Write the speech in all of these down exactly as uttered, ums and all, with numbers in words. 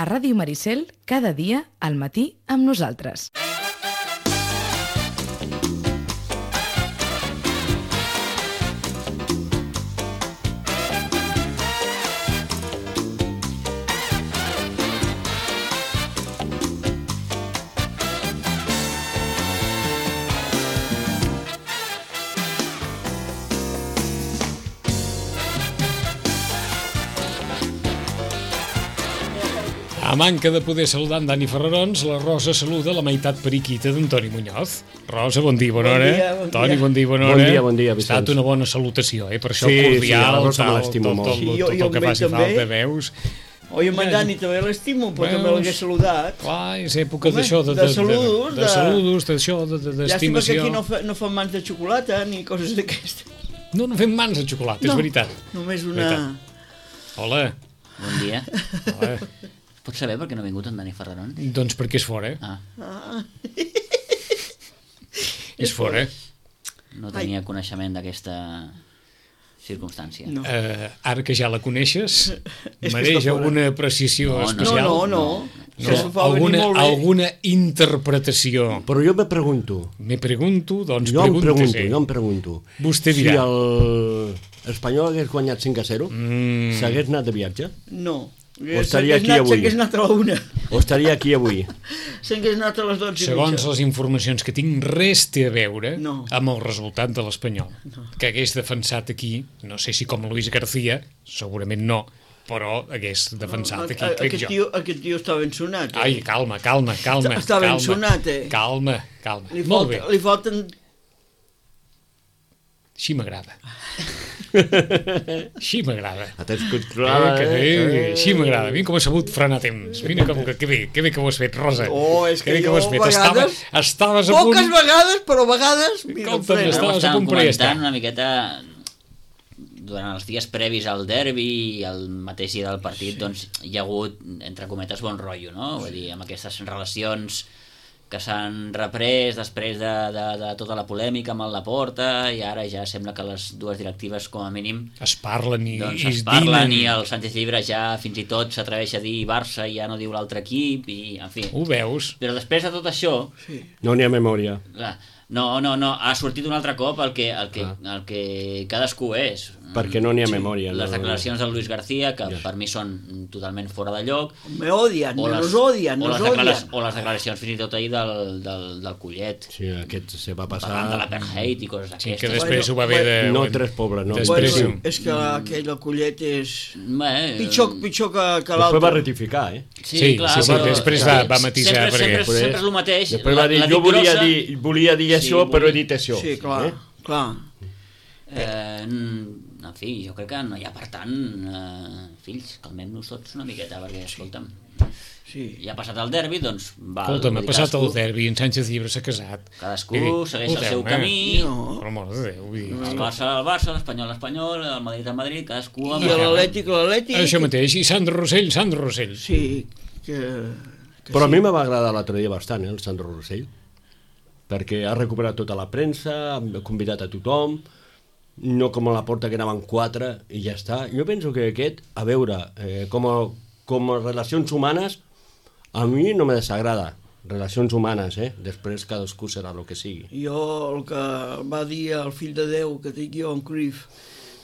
A Ràdio Maricel, cada dia, al matí, amb nosaltres. A manca de poder saludar en Dani Ferrarons, la Rosa saluda la meitat periquita d'Antoni Muñoz. Rosa, bon dia, bona hora. Bon dia, bon dia. Toni, bon dia, bona hora. Bon dia, bon dia, Vicenç. Ha estat una bona salutació, eh? Per això Sí, cordial, sí, a la Rosa tal, me l'estimo tot, molt. tot, Sí, tot, jo- tot jo el que amb ell faci també. falta, veus? Oi, amb en Dani també l'estimo, però Veus? també l'hagués saludat. Clar, és època Home, d'això, de, de saludos, de, de, de- saludos, d'això, de, de, Llàstima que d'estimació. aquí no, fa, no fan mans de xocolata ni coses d'aquestes. No, no fem mans de xocolata, és No. veritat. Només una... Veritat. Hola. Bon dia. Hola. Pots saber per què no ha vingut en Dani Ferrarons? Doncs perquè és fora. Ah, Ah, És fora. no tenia coneixement d'aquesta circumstància. no. Uh, ara que ja la coneixes, que mereix està fora. alguna precisió No, no. especial? no, no, no. No, Que s'ho fa venir alguna, molt bé. alguna interpretació. Però jo me pregunto, Me pregunto, doncs jo em pregunto, pregunta-se. jo em pregunto, Vostè si dirà. el Espanyol hagués guanyat cinc a zero, Mm. s'hagués anat de viatge? No. O estaria S'hagués aquí anat- avui. S'hagués anat a la una. O estaria aquí avui? S'hagués anat a les dotze i Segons mitja. les informacions que tinc, res té a veure No. amb el resultat de l'Espanyol. Que hagués defensat aquí, no sé si com Luis García, segurament no, però hagués defensat aquí, A- a- crec aquest jo. Tio, aquest tio està ben sonat. Eh? Ai, calma, calma, calma. Està ben calma, sonat, eh? Calma, calma. Li, Molt bé, falta, li falten... així m'agrada. Així m'agrada. La tens Eh, controlada, que bé, eh? així m'agrada. Mira com ha sabut frenar temps. Mira com, que, que bé, que bé que ho has fet, Rosa. Oh, és que bé jo ho has fet. a Estava, vegades- estaves a punt... Poques vegades, però a vegades... Mira, Escolta'm, frena. estaves a Estàvem punt, però ja està. comentant una miqueta durant els dies previs al derbi i el mateix dia del partit, sí. Doncs hi ha hagut, entre cometes, bon rotllo, no? Vull dir, amb aquestes relacions que s'han reprès després de, de, de tota la polèmica amb el Laporta, i ara ja sembla que les dues directives, com a mínim, Es parlen i, doncs i es es parlen, dinen. i el Sánchez Llibre ja fins i tot s'atreveix a dir Barça i ja no diu l'altre equip, i en fi. Ho veus? Però després de tot això, Sí. No n'hi ha memòria. clar, no, no, no, ha sortit un altre cop el que, el que, el que cadascú és. Perquè no n'hi ha memòria. Les no. declaracions del Luis García, que Ja. per mi són totalment fora de lloc, Me odian, o me les, los odian, o nos les, declara odian. o les declaracions fins i tot ahir del, del, del Collet, Sí, aquest se va parlant de passar... l'apartheid i coses Sí, d'aquestes. que després Bueno, ho va haver de... No, tres pobres, no. Després Bueno, ho- és que aquell collet és... Bé, Pitjor, pitjor que, que Després va l'altre. rectificar, eh? Sí, Sí, clar, sí, sí, però després va- va matisar, sempre, perquè- sempre, sempre, Després- és el mateix. Després va dir, la jo dic volia grossa, dir, volia dir Sí, això, però he volia- dit això. Sí, clar, Eh? clar. Eh, en fi, jo crec que no hi ha, per tant, eh, fills, calmem-nos tots una miqueta, perquè, escolta'm, Sí. ja ha passat el derbi, doncs val. Escolta'm, ha vull dir, passat el cadascú- derbi, en Sánchez Llibre s'ha casat. Cadascú Vull dir, segueix el seu escolteu-me. camí. No. Per amor de Déu, vull dir, El Barça, el Barça, l'Espanyol, l'Espanyol, el Madrid, el Madrid, cadascú amb I la seva. l'Atlètic, l'Atlètic... Això mateix, i Sandro Rossell, Sandro Rossell. Sí, que... que Però a sí. mi me va agradar l'altre dia bastant, eh, el Sandro Rossell, perquè ha recuperat tota la premsa, ha convidat a tothom, no com a la porta que anaven quatre i ja està. Jo penso que aquest, a veure, eh, com, a, com a relacions humanes, a mi no me desagrada. Relacions humanes, eh? Després cadascú serà el que sigui. Jo el que va dir el fill de Déu que dic jo, en Cruyff,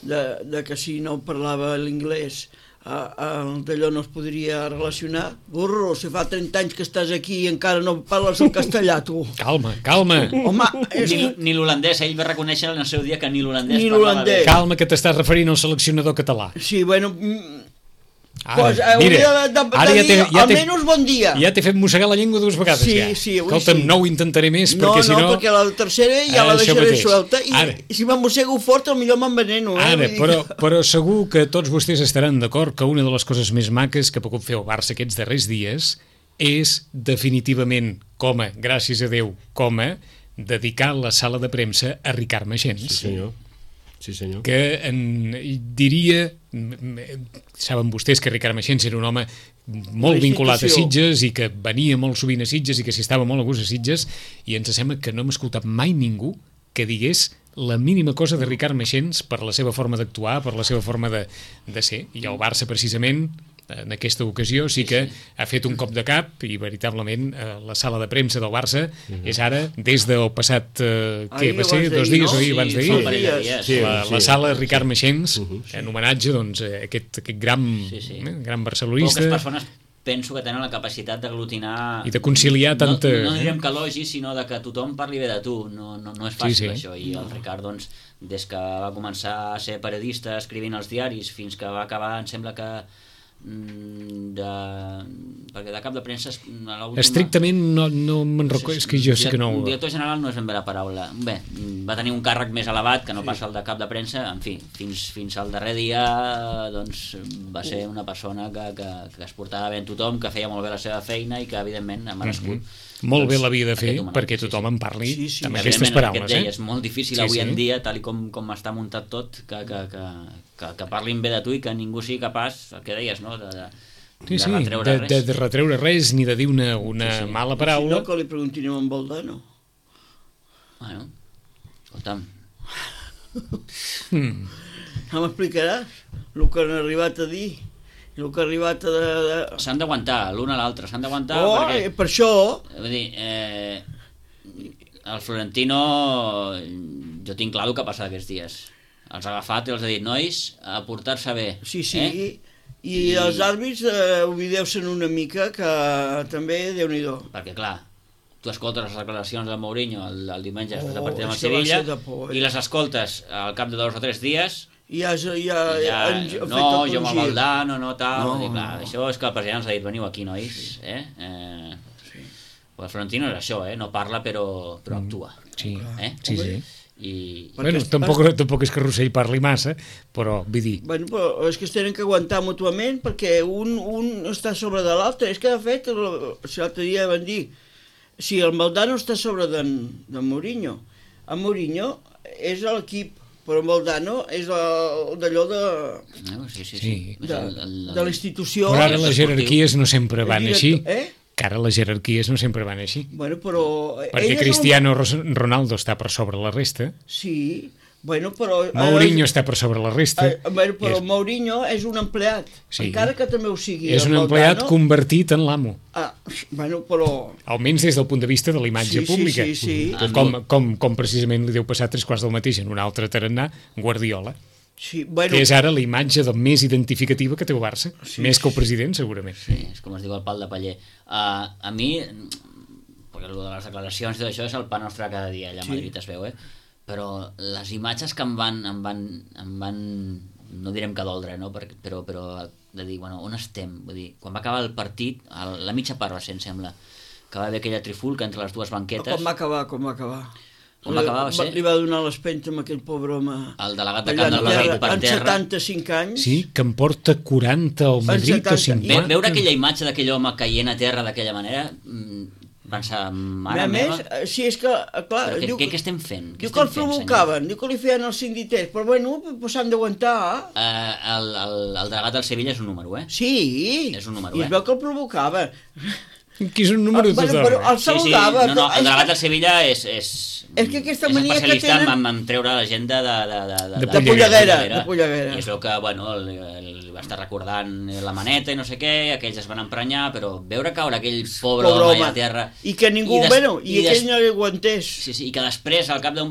de, de que si no parlava l'inglès d'allò no es podria relacionar. Burro, si fa trenta anys que estàs aquí i encara no parles el castellà, tu. Calma, calma. Home, és... Ni, ni l'holandès, ell va reconèixer en el seu dia que ni l'holandès Ni parlava l'holandès. bé. Calma, que t'estàs referint al seleccionador català. Sí, bueno... mm, Ara, pues, hauria de, de, de ara ja dir t'he- ja t'he- almenys bon dia. Ja t'he fet mossegar la llengua dues vegades, Sí, ja. sí, avui Escolta'm, sí. no ho intentaré més, No, perquè si no, no... perquè la tercera ja la Això deixaré mateix. suelta i, Ara. i si m'emmossego fort, millor m'enveneno. Eh? Ara, Vull dir però, que- però segur que tots vostès estaran d'acord que una de les coses més maques que ha pogut fer el Barça aquests darrers dies és definitivament, com a, gràcies a Déu, com a, dedicar la sala de premsa a Ricard Maxens. Sí, senyor. Sí, senyor. Que en, diria, saben vostès que Ricard Maxens era un home molt Una vinculat a institució. Sitges i que venia molt sovint a Sitges i que s'hi estava molt a gust a Sitges, i ens sembla que no hem escoltat mai ningú que digués la mínima cosa de Ricard Meixens per la seva forma d'actuar, per la seva forma de, de ser. I el Barça, precisament, en aquesta ocasió sí que ha fet un cop de cap i veritablement eh, la sala de premsa del Barça uh-huh. és ara, des del passat eh, què va ser, dos dies o sí, abans d'ahir, sí, sí, la, la sala Ricard Meixens, uh-huh, sí. en homenatge doncs, a aquest, aquest gran, sí, sí. Eh, gran barcelonista. Poques persones penso que tenen la capacitat d'aglutinar i de conciliar tanta... No, no direm que elogi, sinó de que tothom parli bé de tu. No, no, no és fàcil, sí, sí. això. I el Ricard, doncs, des que va començar a ser periodista escrivint als diaris fins que va acabar, em sembla que de... perquè de cap de premsa estrictament no, no me'n recordo, és que jo sé que no el director general no és ben bé la paraula, bé, va tenir un càrrec més elevat que no sí. passa el de cap de premsa, en fi, fins, fins al darrer dia doncs va ser una persona que, que, que es portava bé en tothom, que feia molt bé la seva feina i que evidentment ha merescut mm-hmm. molt doncs, bé l'havia de fer perquè tothom sí, sí. en parli sí, sí. amb I aquestes paraules deia, eh? És molt difícil sí, avui sí. en dia, tal com, com està muntat tot, que, que, que, que, que parlin bé de tu i que ningú sigui capaç, el que deies, no? de, de, sí, sí, de retreure de, res de, de retreure res ni de dir una, una sí, sí. mala paraula. Si no, que li preguntin a en Valdano. Bueno, escolta'm hmm. no m'explicaràs el que han arribat a dir, el que ha arribat a... De, de... S'han d'aguantar l'un a l'altre, s'han d'aguantar oh, perquè... per això... Vull dir, eh, el Florentino, jo tinc clar el que ha passat aquests dies. Els ha agafat i els ha dit, nois, a portar-se bé. Sí, sí, eh? I, I els àrbits eh, oblideu-se'n una mica, que també Déu-n'hi-do. Perquè, clar, tu escoltes les declaracions de Mourinho el, el diumenge després oh, de partir amb el Sevilla de por, eh? i les escoltes al cap de dos o tres dies i ja, ja, ja, ja ja no, jo amb el Valdano, no, tal no, i clar, no. Això és que el president ens ha dit, veniu aquí, nois eh? Eh, sí. El Florentino és això, eh? No parla però, però actua sí, eh? sí, sí. I... Bueno, tampoc, tampoc és que Rossell parli massa, però vull dir... Bueno, però és que es tenen que aguantar mútuament perquè un, un està sobre de l'altre. És que, de fet, l'altre dia van dir, si el Valdano està sobre d'en de Mourinho, en Mourinho és l'equip, però el Valdano és d'allò de... No, sí, sí, sí. sí. De, de, de la institució... Però ara les jerarquies no sempre van així. Eh? Que ara les jerarquies no sempre van així. Bueno, però... Perquè Cristiano un... Ronaldo està per sobre la resta. Sí, bueno, però... Mourinho eh, està per sobre la resta. Eh, bueno, però és... Mourinho és un empleat, sí. encara que també ho sigui. És un empleat Valdano... convertit en l'amo. Ah, bueno, però... Almenys des del punt de vista de la imatge sí, pública. Sí, sí, sí. Com, com, com precisament li deu passar tres quarts del mateix en un altre tarannà, Guardiola. Sí, bueno... que és ara la imatge de més identificativa que té el Barça, sí, més que el president segurament. Sí, és com es diu el pal de paller. Uh, a mi, perquè el de les declaracions i tot això és el pa nostre cada dia, allà a Madrid sí. es veu, eh? Però les imatges que em van, em van, em van no direm que doldre, no? Perquè, però, però de dir, bueno, on estem? Vull dir, quan va acabar el partit, a la mitja part va ser, em sembla, que va haver aquella trifulca entre les dues banquetes. Com va acabar, com va acabar? Com va acabar, va ser? Li va donar l'espenta amb aquell pobre home. El delegat de Camp del Barri per terra. En setanta-cinc anys. Sí, que em porta quaranta al Madrid o cinquanta. Ve, veure aquella imatge d'aquell home caient a terra d'aquella manera, pensar, mare a meva... A més, si és que, clar... Però què, diu, què, què estem fent? Diu que el provocaven, diu que li feien els sinditers, però bueno, s'han d'aguantar. Uh, el, el, el delegat del Sevilla és un número, eh? Sí, és un número, i es veu que el provocava. Que és un número de total. Però el saludava. Sí, sí. No, no, el delegat del Sevilla és, és, és, que aquesta és mania especialista que tenen... en, en treure la gent de, de, de, de, de, de, de polleguera. De polleguera. I es veu que, bueno, li, li va estar recordant la maneta i no sé què, aquells es van emprenyar, però veure caure aquell pobre, pobre home a terra... I que ningú, i des, bueno, i, i aquell des... no li aguantés. Sí, sí, i que després, al cap de,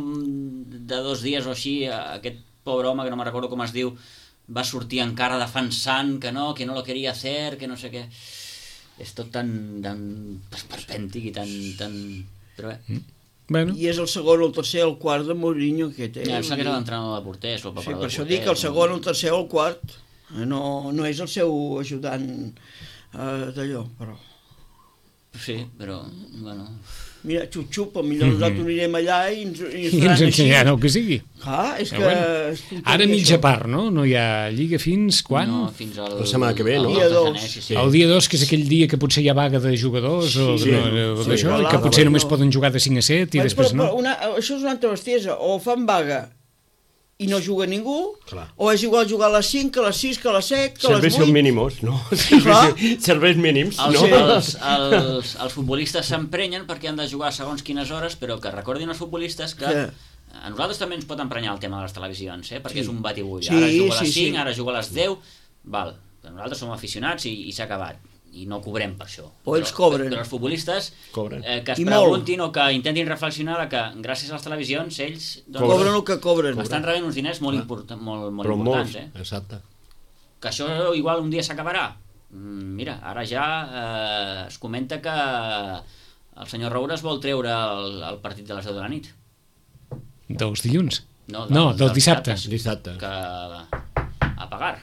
de dos dies o així, aquest pobre home, que no me'n recordo com es diu, va sortir encara defensant que no, que no lo quería hacer, que no sé què... És tot tan, tan esperpèntic i tan... tan... Però bé. Mm. Bueno. I és el segon, el tercer, el quart de Mourinho que té. Ja, em sembla que era l'entrenador de porters o el sí, preparador de porters. Sí, per això dic el segon, el tercer o el quart. No, no és el seu ajudant eh, d'allò, però... Sí, però, bueno... Mira, xup-xup, potser nosaltres mm-hmm. anirem allà i ens, i ens I ens ensenyaran el que sigui. Ah, és però que... Bueno. És ara mitja part, no? No hi ha lliga fins quan? No, fins al... La setmana que ve, no? El dia dos. Sí, sí. El dia dos, que és aquell dia que potser hi ha vaga de jugadors sí, o sí, no, sí, d'això, sí, i que potser només poden jugar de cinc a set i bueno, després però, no. Però una, això és una altra bestiesa. O fan vaga i no juga ningú, clar. O és igual jugar a les cinc, que a les sis, que a les set, que a les vuit. Serveis mínimos, no? Serveis, serveis mínims, els, no? Els, els, els futbolistes s'emprenyen perquè han de jugar segons quines hores, però que recordin els futbolistes que... Sí. a nosaltres també ens pot emprenyar el tema de les televisions, eh? Perquè Sí. és un batibull. Sí, Ara juga a les sí, cinc, sí. ara juga a les deu, val. Però nosaltres som aficionats i, i s'ha acabat. I no cobrem per això. O ells cobren. Però els futbolistes Cobren. eh, que es I molt. preguntin o que intentin reflexionar de que gràcies a les televisions ells doncs, Cobren el que cobren. estan rebent uns diners molt, import molt, molt Però molts, importants. Eh? exacte. Que això igual un dia s'acabarà. Mm, Mira, ara ja eh, es comenta que el senyor Roures vol treure el, el partit de les deu de la nit. Dels dilluns? No, No, dels- del dels dissabte. dissabtes. Dissabte. Que a pagar.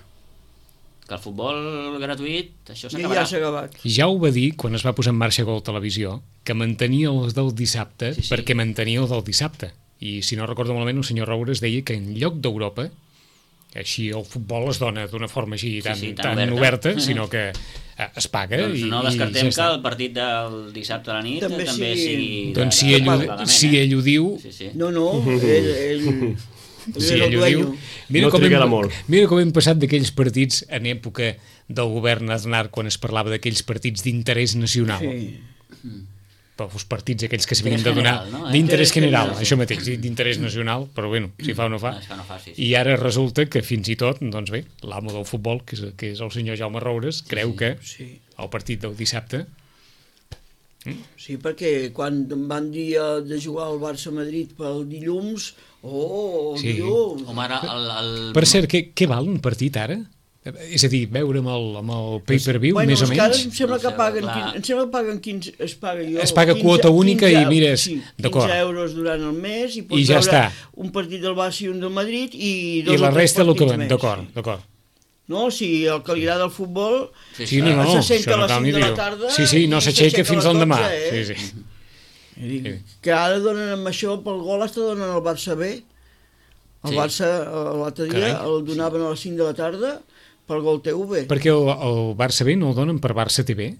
Que el futbol gratuït, això I s'acabarà. ja s'ha acabat. Ja ho va dir quan es va posar en marxa Gol Televisió, que mantenia els del dissabte Sí, sí. perquè mantenia els del dissabte. I si no recordo malament, el senyor Roures deia que en lloc d'Europa, així el futbol es dona d'una forma així tan, sí, tan, tan oberta, oberta. sinó que eh, es paga Doncs i, no i descartem ja que està. el partit del dissabte a la nit També també, sigui- sigui... de- Doncs si de ell, ho, pagament, si eh? ell ho diu, Sí, sí. No, no, ell, ell, ell si és el ell ho diu, dueño. mira, No com trigarà hem, molt. mira com hem passat d'aquells partits en època del govern Aznar, quan es parlava d'aquells partits d'interès nacional. Sí. Però els partits aquells que s'havien de donar general, no? Eh? d'interès Interès general, general. això mateix, d'interès nacional, però bueno, si fa o no fa. No, es fa o no fa, sí, sí. I ara resulta que fins i tot, doncs bé, l'amo del futbol, que és, que és el senyor Jaume Roures, creu que Sí. el partit del dissabte... Sí, perquè quan em van dir eh, de jugar al Barça-Madrid pel dilluns, oh, Sí. dilluns, Home, ara el, el... Per cert, què, què val un partit ara? És a dir, veure amb el, amb el pay-per-view, bueno, més o és que ara menys? em sembla No que sé, paguen, clar. quin, em sembla que paguen quinze, es paga jo, Es paga quota única i mires, sí, d'acord. quinze euros durant el mes i pots I ja veure està. un partit del Barça i un del Madrid i dos I la o tres resta el que partits ven, més, d'acord, sí. d'acord. No, si el que li agrada el futbol Sí, Sí, no, no, se sent això a no les cal cinc ni de la dir-ho. tarda Sí, sí, no i s'aixeca s'aixeca fins a al les demà. dotze, eh? Sí, sí. I dic, que ara donen amb això pel gol està donant el Barça B. El Sí. Barça eh, l'altre dia Carai. el donaven a les cinc de la tarda pel gol T V. Perquè el, el Barça B no el donen per Barça T V?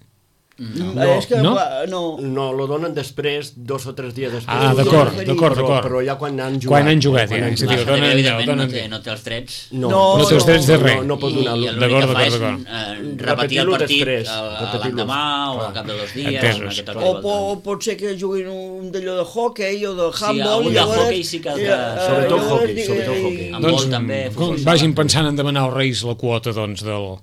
No, No, és que no? va- no. No, lo donen després, dos o tres dies després. Ah, d'acord, Però- d'acord, Però, d'acord. però ja quan han jugat. Quan han jugat, quan ja, han és a dir, Barça el també, donen allà, el evidentment, no donen té, allà. no té els drets. No, No, No té els drets de no, res. no pot I, donar-lo. i l'únic D'acord, que fa és d'acord, eh, repetir Repetir-lo el partit després, a- a repetir-lo. l'endemà o Clar. al cap de dos dies. Entesos. una miqueta O, tot po, voltant. o pot ser que juguin un d'allò de hockey o de Sí, handball. algun i de llavors- hoquei sí que has de- i, eh, Sobretot llavors hoquei, dic- sobretot i- hoquei. Amb Doncs vol també, com, futbol vagin sala. pensant en demanar als Reis la quota doncs, del...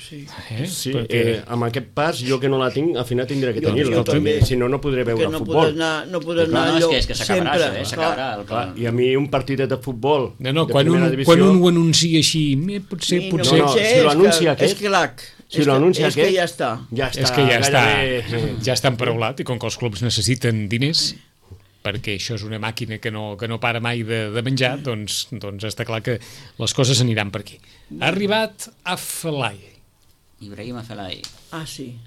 Sí. Eh? Sí, Perquè... eh, amb aquest pas, jo que no la tinc, al final tindré que Jo- tenir-la. jo també. Si no, no podré veure Perquè no futbol. podràs anar, no podràs No, anar no, és allò que, és que s'acabarà sempre. això, eh? S'acabarà. El... Clar, I a mi un partidet de futbol No, no, de quan un, primera divisió, quan un ho anuncia així, eh, potser, Sí, potser... no, no, si lo anuncia és que, aquest- és que l'ac, si és lo que- anuncia és que aquest- ja està. ja està, És que ja està, gairebé... ja està emparaulat i com que els clubs necessiten diners perquè això és una màquina que no, que no para mai de, de menjar, doncs, doncs està clar que les coses aniran per aquí. Ha arribat a Felai. Ibrahim Afelai. Ah, sí.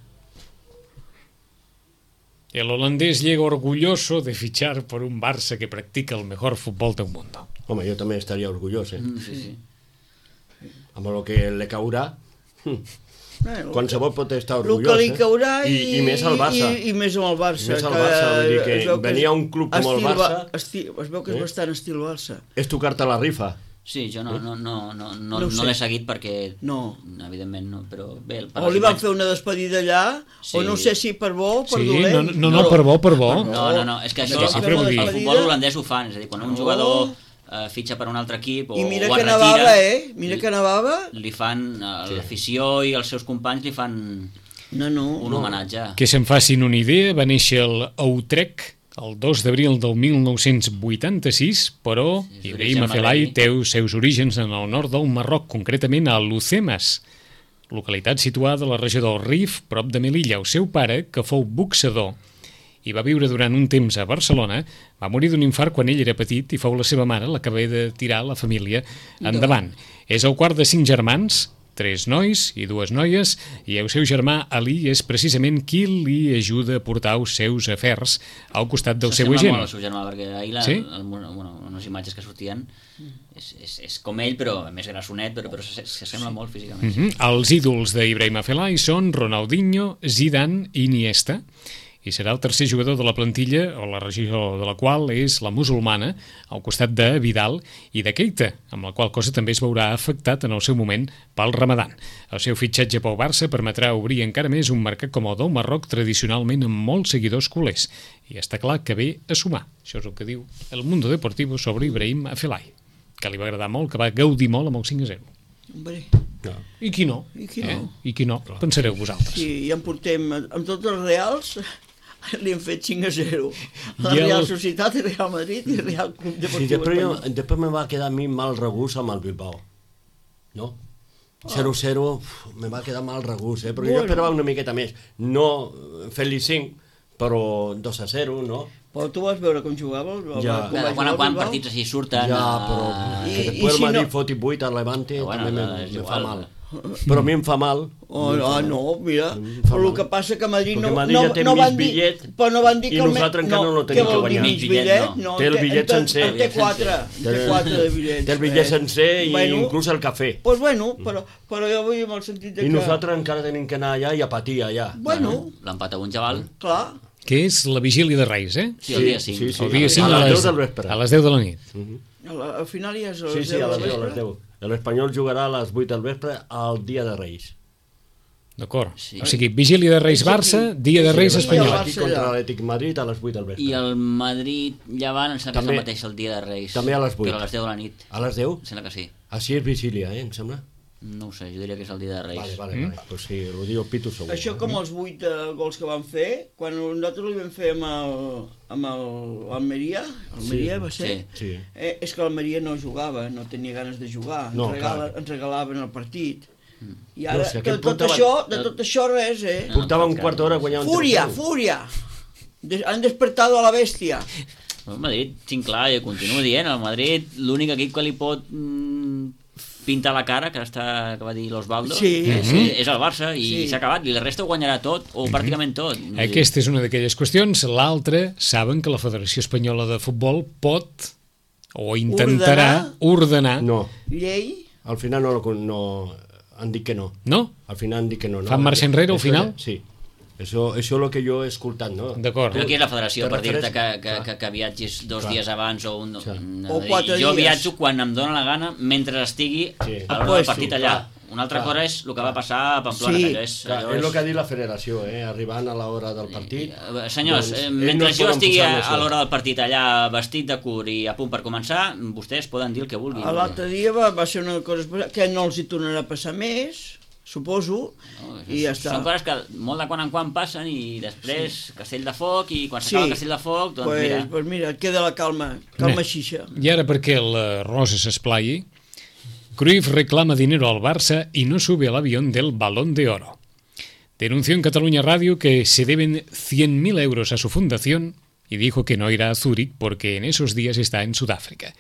El holandés llega orgulloso de fichar por un Barça que practica el mejor fútbol del mundo. Home, jo també estaria orgullós, eh? Mm, sí, sí. Amb el que le caurà, Bueno, qualsevol pot estar el orgullós, que li eh? caurà i, I, i més al Barça. I, i més amb el Barça. Més al Barça, vull dir que es veu venir és a un club com el estil Barça- Ba- Esti, es veu que és Eh? bastant estil Barça. És tocar-te la rifa. Sí, jo no, no, no, no, no, No ho no sé. l'he seguit perquè... No. Evidentment no, però bé... per O les li van imatges- fer una despedida allà, Sí. o no sé si per bo o per Sí, dolent. no, no, no, per bo, per bo. No, no, no, és que això Perquè el, sempre ho el, dic. el futbol holandès ho fan, és a dir, quan un Oh. jugador eh, fitxa per un altre equip o, I mira o que es nevava, retira, eh? Mira que nevava. li fan, eh, l'afició i els seus companys li fan No, no. un homenatge. Que se'n facin una idea, va néixer el Utrecht el dos d'abril del mil nou-cents vuitanta-sis, però Sí, Ibrahim d'origen Afelai magrebí. té els seus orígens en el nord del Marroc, concretament a Lucemas, localitat situada a la regió del Rif, prop de Melilla. El seu pare, que fou boxador i va viure durant un temps a Barcelona, va morir d'un infart quan ell era petit i fou la seva mare la que va de tirar la família endavant. És el quart de cinc germans, tres nois i dues noies, i el seu germà Ali és precisament qui li ajuda a portar els seus afers al costat del seu S'assembla agent. molt al seu germà, perquè ahir la, Sí? el, bueno, unes imatges que sortien és, és, és com ell, però més grassonet, però, però s'assembla molt físicament. Mhm. Els ídols d'Ibrahim Afelai són Ronaldinho, Zidane i Iniesta. i serà el tercer jugador de la plantilla, o la regió de la qual és la musulmana, al costat de Vidal i de Keita, amb la qual cosa també es veurà afectat en el seu moment pel Ramadan. El seu fitxatge pel Barça permetrà obrir encara més un mercat com el del Marroc, tradicionalment amb molts seguidors culers, i està clar que ve a sumar. Això és el que diu El Mundo Deportivo sobre Ibrahim Afellay, que li va agradar molt, que va gaudir molt amb el cinc a zero. Hombre. No. I qui no? I qui no? Eh? I qui no? Pensareu vosaltres. Sí, ja en portem, amb tots els Reals, li hem fet cinc a zero. La I el- Real Societat, el Real Madrid i el Real Club Sí, Deportiu després, jo, Espanyol. després me va quedar a mi mal regús amb el Bilbao. No? zero zero, uf, me va quedar mal regús, eh? Però Bueno. jo esperava una miqueta més. No fer-li cinc, però dos a zero, no? Però tu vas veure com jugava? El, Ja. com va De quan jugar en el quan Bilbao? partits així surten... Ja, a- però I- que i després si el Madrid no- foti vuit al Levante Però bueno, també me, és me fa igual. mal. Però a mi em fa mal. Oh, ah, no, mira, fa però el mal. que passa que a Madrid Perquè no, Madrid no, ja té no mig van dir, bitllet però no van dir i que el me- nosaltres encara no lo tenim què vol que dir guanyar. mig bitllet? No, Té el bitllet en- sencer. En té quatre, en té quatre de bitllets. Té el bitllet eh? sencer i Bueno, inclús el cafè. Doncs bueno, però, però jo vull amb el sentit de I que... nosaltres encara tenim que anar allà i a patir allà. Bueno, L'empat a un xaval. clar, Que és la vigília de Reis, eh? Sí, el dia cinc. Sí, sí, El dia cinc a a les les, deu del vespre. a les deu de la nit. al, al final ja és a Sí, les sí, a deu les del deu, a les vespre. deu. L'Espanyol jugarà a les vuit del vespre al dia de Reis. D'acord. Sí. O sigui, vigília de Reis Barça, dia de Reis Sí, espanyol. Barça Aquí contra allà. l'Atlètic Madrid a les vuit del vespre. I el Madrid Llevant em sembla que és També- el mateix el dia de Reis. també a les vuit. Però a les deu de la nit. A les deu? Em sembla que sí. Així és vigília, eh, em sembla? No ho sé, jo diria que és el dia de Reis. Vale, vale, vale. Pues sí, ho diu el Pitu segur. Això com els vuit eh, gols que van fer, quan nosaltres li vam fer amb el, amb el Almeria, Almeria Sí. va ser, Sí. Sí. eh, és que l'Almeria no jugava, no tenia ganes de jugar, No, ens, regala, clar. ens regalaven el partit. I No, ara, si de aquest tot, portava- això, de tot això res, eh? Portava un quart d'hora guanyant un Fúria, tres a u. fúria! Des, han despertado a la bèstia. El Madrid, tinc clar, jo continuo dient, el Madrid, l'únic equip que li pot mm, pintar la cara, que, està, que va dir l'Osvaldo, Sí. és, és el Barça, i Sí. s'ha acabat, i la resta ho guanyarà tot, o pràcticament tot. Vull dir, Aquesta és una d'aquelles qüestions. L'altra, saben que la Federació Espanyola de Futbol pot, o intentarà, ordenar... No, Llei, al final no, lo- no han dit que no. No? Al final han dit que no. no. Fan marxa enrere, al Això- final? Sí. Això, això és el que jo he escoltat, no? D'acord. Però aquí és la federació, Te per dir-te que, refereix- que, que, que viatgis dos Clar. dies abans o un... Clar. una- O quatre jo dies. viatjo quan em dóna la gana, mentre estigui Sí. a l'hora Pues del sí, partit allà. clar. Una altra Clar. cosa és el que va passar a Pamplona, Sí. que allò és... Clar, allò és el que ha dit la federació, eh? Arribant a l'hora del partit... Eh, Senyors, doncs, eh, ells mentre no es jo poden estigui posar a, més a l'hora del partit allà vestit de cur i a punt per començar, vostès poden dir el que vulguin. l'altre dia va, va ser una cosa especial, que no els hi tornarà a passar més, suposo, No, i ja està. Són coses que molt de quan en quan passen i després sí. Castell de Foc i quan Sí. s'acaba el Castell de Foc, doncs pues, mira... pues mira, queda la calma, calma Bé. xixa. I ara perquè la Rosa s'esplai, Cruyff reclama dinero al Barça y no sube al avión del Balón de Oro. Denunció en Cataluña Radio que se deben cien mil euros a su fundación y dijo que no irá a Zúrich porque en esos días está en Sudáfrica.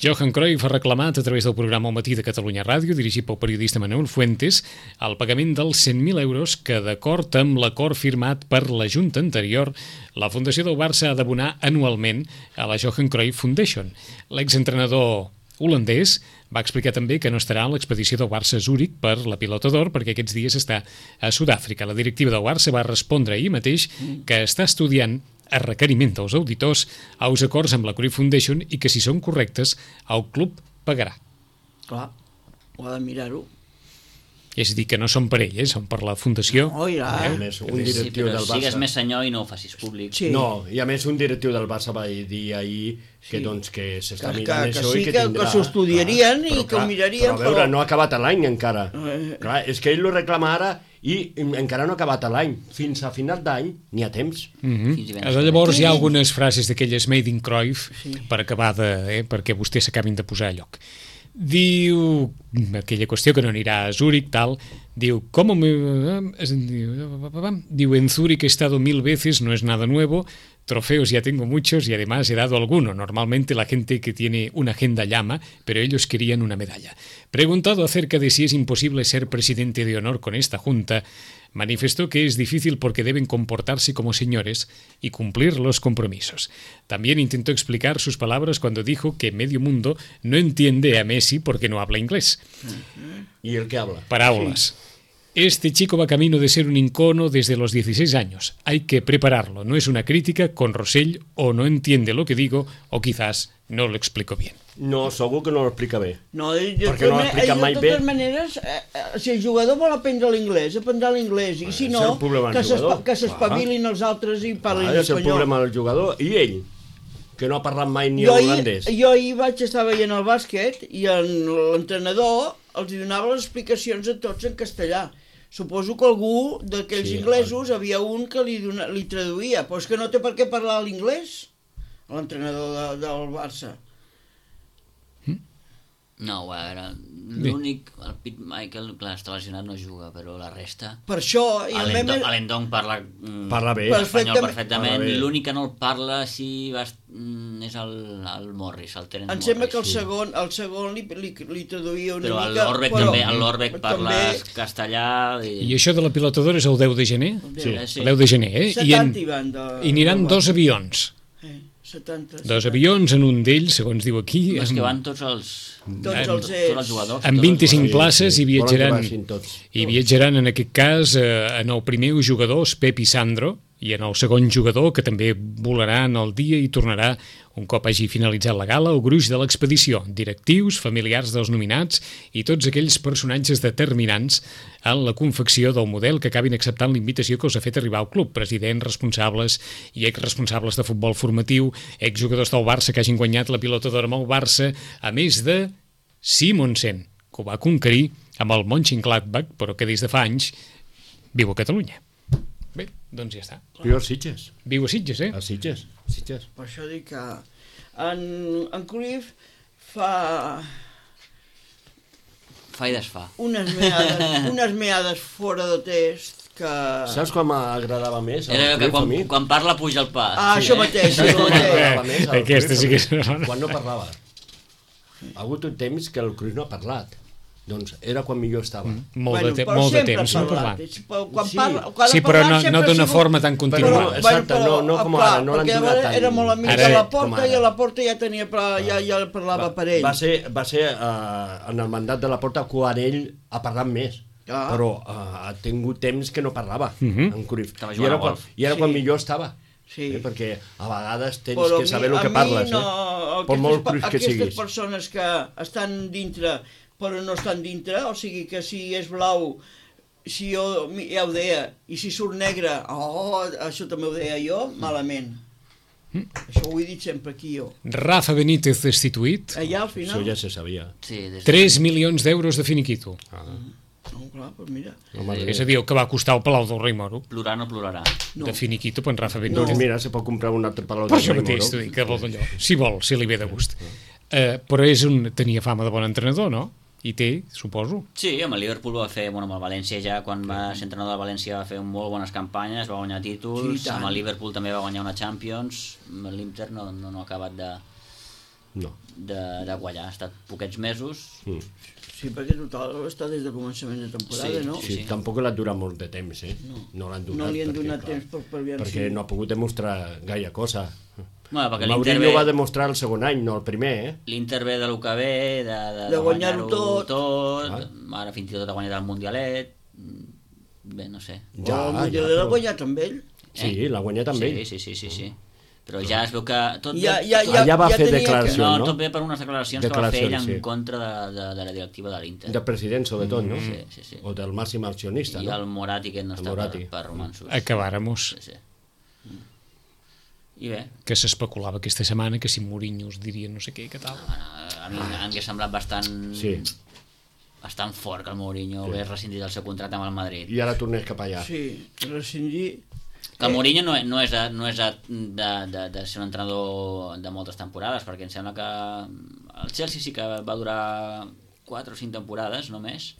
Johan Cruyff ha reclamat a través del programa Al matí de Catalunya Ràdio, dirigit pel periodista Manuel Fuentes, el pagament dels cent mil euros que, d'acord amb l'acord firmat per la Junta anterior, la Fundació del Barça ha d'abonar anualment a la Johan Cruyff Foundation. L'exentrenador holandès va explicar també que no estarà a l'expedició del Barça a Zúrich per la Pilota d'Or perquè aquests dies està a Sud-àfrica. La directiva del Barça va respondre ahir mateix que està estudiant a requeriment dels auditors els acords amb la Cruyff Foundation i que si són correctes el club pagarà. Clar, ho ha de mirar-ho. És a dir, que no són per ell, eh? Són per la fundació. Oh, ja. A més, un Sí, directiu però del sigues Barça... més senyor i no ho facis públic. Sí. No, i a més un directiu del Barça va dir ahir que, Sí. doncs, que s'està Que- mirant que això sí, i que que- tindrà... que s'ho estudiarien i Clar, que però ho mirarien, Però a veure, però- no ha acabat l'any encara. Eh. Clar, és que ell lo reclama ara i encara no ha acabat l'any. Fins a final d'any n'hi ha temps. Mm Fins -hmm. divendres. Llavors hi ha algunes frases d'aquelles made in Cruyff sí. per acabar de... Eh, perquè vostès s'acabin de posar a lloc. Diu, aquella qüestió que no anirà a Zúrich, tal, diu, ¿cómo me...? Diu, en Zúrich he estado mil veces, no es nada nuevo, trofeos ya tengo muchos y además he dado alguno. Normalmente la gente que tiene una agenda llama, pero ellos querían una medalla. Preguntado acerca de si es imposible ser presidente de honor con esta junta, manifestó que es difícil porque deben comportarse como señores y cumplir los compromisos. También intentó explicar sus palabras cuando dijo que medio mundo no entiende a Messi porque no habla inglés. I el que habla? Paraules. Este chico va camino de ser un icono desde los dieciséis años. Hay que prepararlo. No es una crítica con Rossell, o no entiende lo que digo, o quizás no lo explico bien. No, segur que no ho explica bé. No, de, de, Perquè no ho explica de, mai de bé. totes maneres, eh, eh, si el jugador vol aprendre l'inglès, aprendrà l'inglès, i si és no, el problema del que s'espa- jugador. que s'espavilin els altres i parlin Ara és el espanyol. problema del jugador i ell, que no ha parlat mai ni Jo ahir, holandès. jo ahir vaig estar veient el bàsquet i en- l'entrenador els donava les explicacions a tots en castellà. Suposo que algú d'aquells Sí, inglesos havia un que li, dona, li traduïa, però és que no té per què parlar l'inglès, l'entrenador de, del Barça. No, a veure, l'únic, el Pete Michael, clar, està lesionat, no juga, però la resta... Per això... i el Alendong, meme- Alendong parla, mm, Parla bé. espanyol Perfectament. perfectament, Parla bé. l'únic que no el parla sí, bast... mm, és el, el Morris, el Terence Em Morris. sembla que el segon, el segon li, li, li traduïa una Però el mica... Lorbeck però també, el Lorbeck parla també- castellà... I, I això de la pilotadora és el deu de gener? Sí, sí. El deu de gener, eh? I, en, setanta hi van de... i aniran de- dos avions. Eh, setanta. Dos avions, en un d'ells, segons diu aquí, és que amb, van tots els... Tots en- els tots els ells. jugadors. amb tots els vint-i-cinc jugadors. places i Volen que viatjaran, vagin tots. i viatjaran en aquest cas eh, en el primer jugador, Pep i Sandro, i en el segon jugador, que també volarà en el dia i tornarà un cop hagi finalitzat la gala, el gruix de l'expedició, directius, familiars dels nominats i tots aquells personatges determinants en la confecció del model que acabin acceptant l'invitació que us ha fet arribar al club, presidents, responsables i exresponsables de futbol formatiu, exjugadors del Barça que hagin guanyat la pilota d'or amb el Barça, a més de Simonsen, que ho va conquerir amb el Mönchengladbach, però que des de fa anys viu a Catalunya. Bé, doncs ja està. Viu a Sitges. Viu a Sitges, eh? A Sitges. Sitges. Per això dic que en, en Cruyff fa Fa i desfà. unes meades, unes meades fora de test que... Saps quan m'agradava més? el Era que Cruyff a quan, mi? quan parla puja el pas. Ah, això mateix, Saps això quan mateix. m'agradava més? el Aquesta Cruyff sí que a mi? és- Quan no parlava. Ha hagut un temps que el Cruyff no ha parlat. Doncs era quan millor estava. Molt de, te però molt de sempre temps, ha no parlat. parlant. És- però Quan Sí. parla, quan Sí, ha però parlat no, sempre no ha d'una sigut- forma tan Però, continuada. exacte, no- no com clar, ara, no l'han perquè donat tant. era molt amic Ara- de la com Porta ara. i a la Porta ja tenia pla- ja, ja parlava per ell. Va ser, va ser uh, en el mandat de la Porta quan ell ha parlat més. Ah. Però uh, ha tingut temps que no parlava, Mhm. en Cruyff. Estava I jugant era, a quan, golf. I era Sí. quan millor estava. Sí. Eh? Perquè a vegades tens Però a que mi- saber el a que mi parles. no, eh? Per aquestes, molt Cruyff que aquestes siguis. persones que estan dintre però no estan dintre, o sigui que si és blau, si jo mi- ja ho deia, i si surt negre, oh, això també ho deia jo, malament. Mm. Això ho he dit sempre aquí jo. Rafa Benítez destituït, Allà al Això final... ja se sabia. Sí, des de... tres milions d'euros de finiquito. Ah. No, clar, doncs mira. Home, És a dir, el que va costar el Palau del Rei Moro. Plorar no plorarà. No. De finiquito per en Rafa no. Benítez. Doncs mira, se pot comprar un altre palau Per del això Rei mateix, Moro. t'ho dic, que vol d'allò. Si vol, si li ve de gust. Eh, però és un, tenia fama de bon entrenador, no? I té, suposo. Sí, amb el Liverpool va fer, bueno, amb el València ja, quan va ser entrenador del València va fer molt bones campanyes, va guanyar títols, Sí, i tant. amb el Liverpool també va guanyar una Champions, amb l'Inter no, no, no ha acabat de, No. de, de guanyar, ha estat poquets mesos. Mm. Sí, perquè total està des de començament de temporada, Sí, no? Sí, sí. tampoc l'ha durat molt de temps, eh? No, no l'han donat. No li han perquè, donat clar, temps per, per veure Perquè si... no ha pogut demostrar gaire cosa. Bueno, perquè l'Inter Mourinho va ve, demostrar el segon any, no el primer, eh? l'Inter ve de lo que ve, de, de, De guanyar-ho tot. tot Ah. ara fins i tot ha guanyat el Mundialet, bé, no sé. Ja, oh, el Mundial l'ha guanyat amb ell. Sí, l'ha guanyat amb sí, ell. Sí, sí, sí, sí. Però ja es veu que... Tot Ja, ve, ja, tot, ja, Allà va ja fer tenia declaració. no, no? tot ve per unes declaracions, que va fer ell en Declaracions, sí. contra de, de, de la directiva de l'Inter. Del president, sobretot, no? Sí, sí, sí. O del màxim accionista, I no? el Morati, que no El està per, Morati. per romansos. Acabàremos. Sí, sí. I bé, Que s'especulava aquesta setmana que si Mourinho us diria no sé què, què tal. bueno, a mi em hauria semblat bastant... Sí. bastant fort que el Mourinho sí. hagués rescindit el seu contracte amb el Madrid. I ara tornés cap allà. Sí, rescindir... Que el Mourinho no, no és, de, no és de, de, de, de ser un entrenador de moltes temporades, perquè em sembla que el Chelsea sí que va durar quatre o cinc temporades només,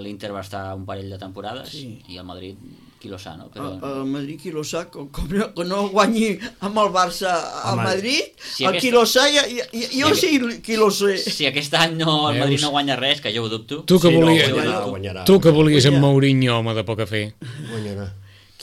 l'Inter va estar un parell de temporades Sí. i el Madrid, qui lo sa, no? Però... Però... El Madrid, qui lo sa, com, com no, que no guanyi amb el Barça al Home, Madrid, si el aquesta- qui lo sa, ja, ja, ja, jo Si sí qui lo sé. Si aquest any no, el Veus? Madrid no guanya res, que jo ho dubto, Tu que Sí, no, volies, guanyarà, guanyarà. tu que volies amb Guanyar. Mourinho, home de poca fe. Guanyarà.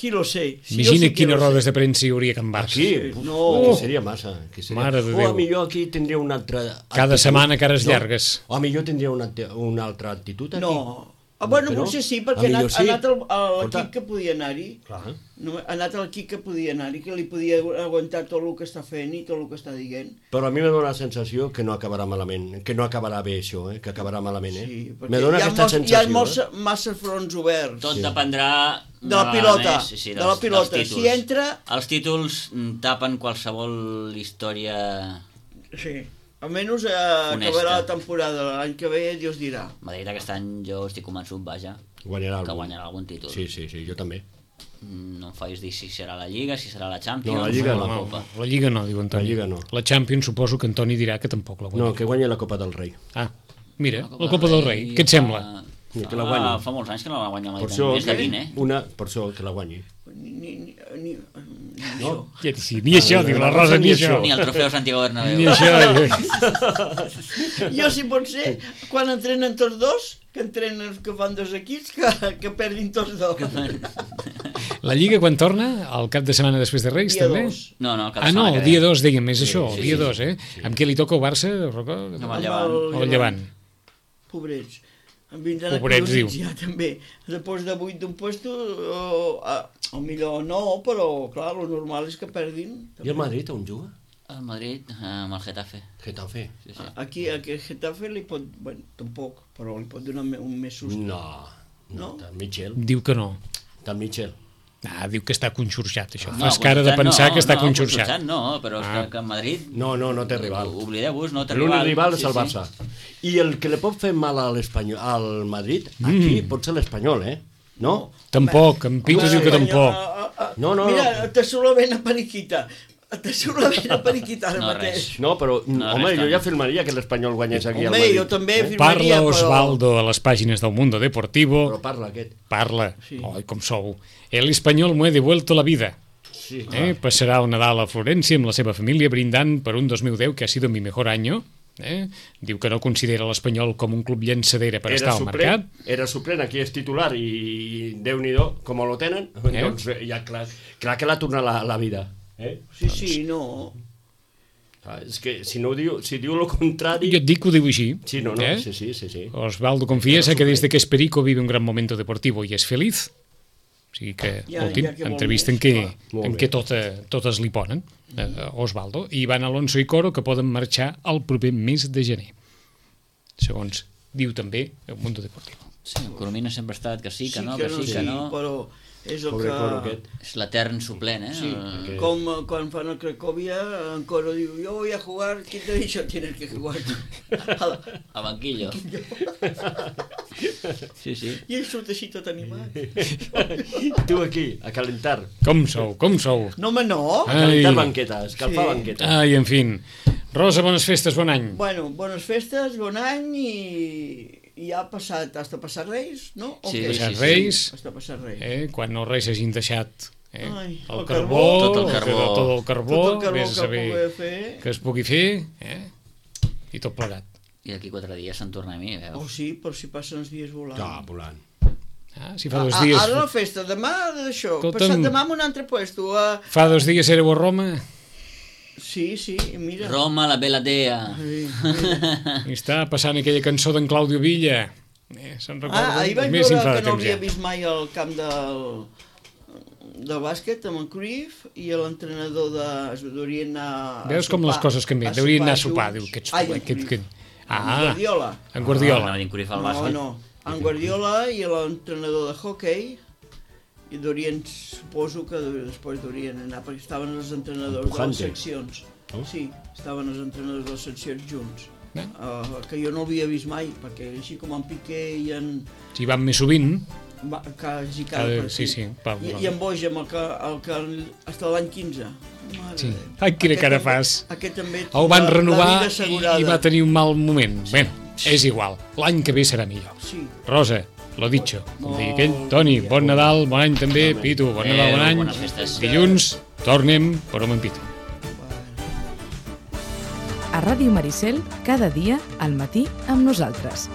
Qui lo sé. Si jo Imagina sí qui quines lo sé. rodes de premsa hi hauria a Can Barça. Aquí? No. Aquí seria massa. Aquí seria... Mare de O Déu. a millor aquí tindria una altra... Cada actitud. setmana cares No. llargues. O a millor tindria una, una altra actitud aquí. No, Ah, bueno, Però, potser sí, a perquè ha millor anat, sí. ha anat al- a l'equip Escolta. que podia anar-hi. Clar. No, ha anat a l'equip que podia anar-hi, que li podia aguantar tot el que està fent i tot el que està dient. Però a mi me dóna la sensació que no acabarà malament, que no acabarà bé això, eh? que acabarà malament. Eh? Sí, perquè me dóna hi ha, aquesta molts, hi ha sensació. molts, eh? massa fronts oberts. Tot Sí. dependrà De la una pilota, vegada més, sí, de la pilota. dels Si títols. entra- Els títols mm, tapen qualsevol història... Sí. Almenys eh, Honesta. acabarà la temporada. L'any que ve, Dios dirà. Madrid aquest any jo estic convençut, vaja, Guanyarà que algun. guanyarà algun títol. Sí, sí, sí, jo també. Mm, No em facis dir si serà la Lliga, si serà la Champions No, la Lliga o no. la No, Copa. la Lliga no, diu Antoni. La Lliga no. La Champions suposo que Antoni dirà que tampoc la guanya. No, que guanya la Copa del Rei. Ah, mira, la Copa del Rei, què et sembla? Ni que la Ah, guanyi. fa molts anys que no la guanya mai. Per això, Més de vint, eh? una, per això que la guanyi. Ni, ni, ni, ni, ni No? Ja, sí, ni això, diu la Rosa, ni això. Ni el trofeu Santiago Bernabéu. Ni això. això. Jo, si pot ser, quan entrenen tots dos, que entrenen que fan dos equips, que, que perdin tots dos. La Lliga quan torna? El cap de setmana després de Reis, Dia també? dos. No, no, cada Ah, no, setmana el que dia ve. dos, diguem, és això, el sí, dia sí, dos, eh? Amb què li toca al Barça? Roca? Amb el Llevant. O el Llevant. Pobrets. Em vindran Pobrets, acollonits diu. ja, també. Després de vuit d'un puesto, o, a, o millor no, però, clar, el normal és que perdin. I el Madrid on juga? El Madrid eh, amb el Getafe. Getafe. Sí, sí. Aquí, aquí el Getafe li pot, bueno, tampoc, però li pot donar me- un més sust. No, no, No? tant Michel. Diu que no. Tant Michel. Ah, diu que està conxorxat, això. No, Fas cara de pensar no, que està no, conxorxat. No, però és Ah. que, que en Madrid... No, no, no té rival. Oblideu-vos, no té L'únic rival. rival és Sí, el sí. Barça. I el que li pot fer mal a l'Espanyol, al Madrid, aquí Mm. pot ser l'Espanyol, eh? No? Tampoc, en Pitu diu que tampoc. No, no, Mira, no. te surt ben a periquita. Te surt ben a periquita ara No, mateix. res. No, però, No, home, res jo tant. ja firmaria que l'Espanyol guanyés aquí al Home, Madrid. jo també Eh? firmaria, Parla però... Osvaldo a les pàgines del Mundo Deportivo. Però parla aquest. Parla. Sí. Ai, com sou. El español me he devuelto la vida. Sí, Eh? Passarà el Nadal a Florència amb la seva família brindant per un dos mil deu que ha sido mi mejor año. Eh? Diu que no considera l'Espanyol com un club llançadera per estar al mercat. Era suplent, aquí és titular i Déu-n'hi-do, com lo tenen, Eh? doncs eh, ja clar, clar que l'ha tornat la, la vida. Eh? Sí, sí, no. Ah, és que si no ho diu, si diu lo contrari... Jo et dic que ho diu així. Sí, no, no, eh? sí, sí, sí, sí. Osvaldo confiesa que desde que es Perico vive un gran momento deportivo y es feliz. O sigui que, Ja, últim, ja que vol entrevista més, en què, clar. Molt en bé. què tot, eh, totes li ponen, eh, Osvaldo. I Ivan Alonso i Coro que poden marxar el proper mes de gener. Segons diu també el Mundo Deportivo. Sí, el Coromina sempre ha estat que sí, que no, que que sí, sí, que no. però és el Pobre Coro que... aquest. És l'etern suplent, eh? Sí, El- que- com eh, quan fan el Cracòvia, en Coro diu, yo voy a jugar, ¿quién te ha dicho? Tienes que jugar. A la- A banquillo. Sí, sí. I ell surt així tot animat. Tu aquí, a calentar. Com sou, com sou? No, home, no. A calentar Ai. banqueta, a escalfar Sí. banqueta. Ai, en fin. Rosa, bones festes, bon any. Bueno, bones festes, bon any i, i ja ha passat, hasta passar Reis, no? O Sí, què? Passat sí, sí. Reis, Hasta passar Reis. eh, quan els reis hagin deixat eh, Ai, el, el carbó, carbó, tot el carbó. tot, tot el carbó, Tot el carbó vés a que saber pugui fer. que es pugui fer, eh? I tot plegat. I d'aquí quatre dies se'n torna a mi, Oh, veus? sí, per si passen els dies volant. Ja, volant. Ah, si fa dos A- a- dies... Ara la festa, demà d'això, Escolta'm. passat demà en un altre puesto. Uh, Fa dos dies éreu a Roma sí, sí, mira. Roma, la bella dea. Sí, mira. i està passant aquella cançó d'en Claudio Villa. Eh, se'n recorda? Ah, ahir vaig Més veure em fa que de no temps havia ja. vist mai al camp del, del bàsquet amb en Cruyff i l'entrenador de... es deurien anar... a Veus com les sopar- coses canvien. Deurien anar a sopar, junts. diu, aquests... Ai, en aquest, Cruyff. aquest... En Ah, Guardiola. en Guardiola. No, no, Cruyff al No, bàsquet. no. En Guardiola i l'entrenador de hockey i deurien, suposo que després deurien anar, perquè estaven els entrenadors de Pujante. les seccions. No? Sí, estaven els entrenadors de les seccions junts. Eh? Uh, que jo no havia vist mai, perquè així com en Piqué i en... Si van més sovint, Va, quasi cada Cada- partit. sí, sí, pa- I, I en Boix, amb el que, el que hasta l'any quinze. Mare Sí. de Déu. Ai, quina Aquest cara també- fas. Aquest també... el van la- la renovar vida i, assegurada. i va tenir un mal moment. Bé, és igual. L'any que ve serà millor. Sí. Rosa, lo dicho. Com Molt digui aquell. bé. Toni, bon Nadal, bon any també. Pitu, bon Adéu, Nadal, bon any. bones festes. Dilluns tornem per on en Pitu. A Ràdio Maricel, cada dia al matí amb nosaltres.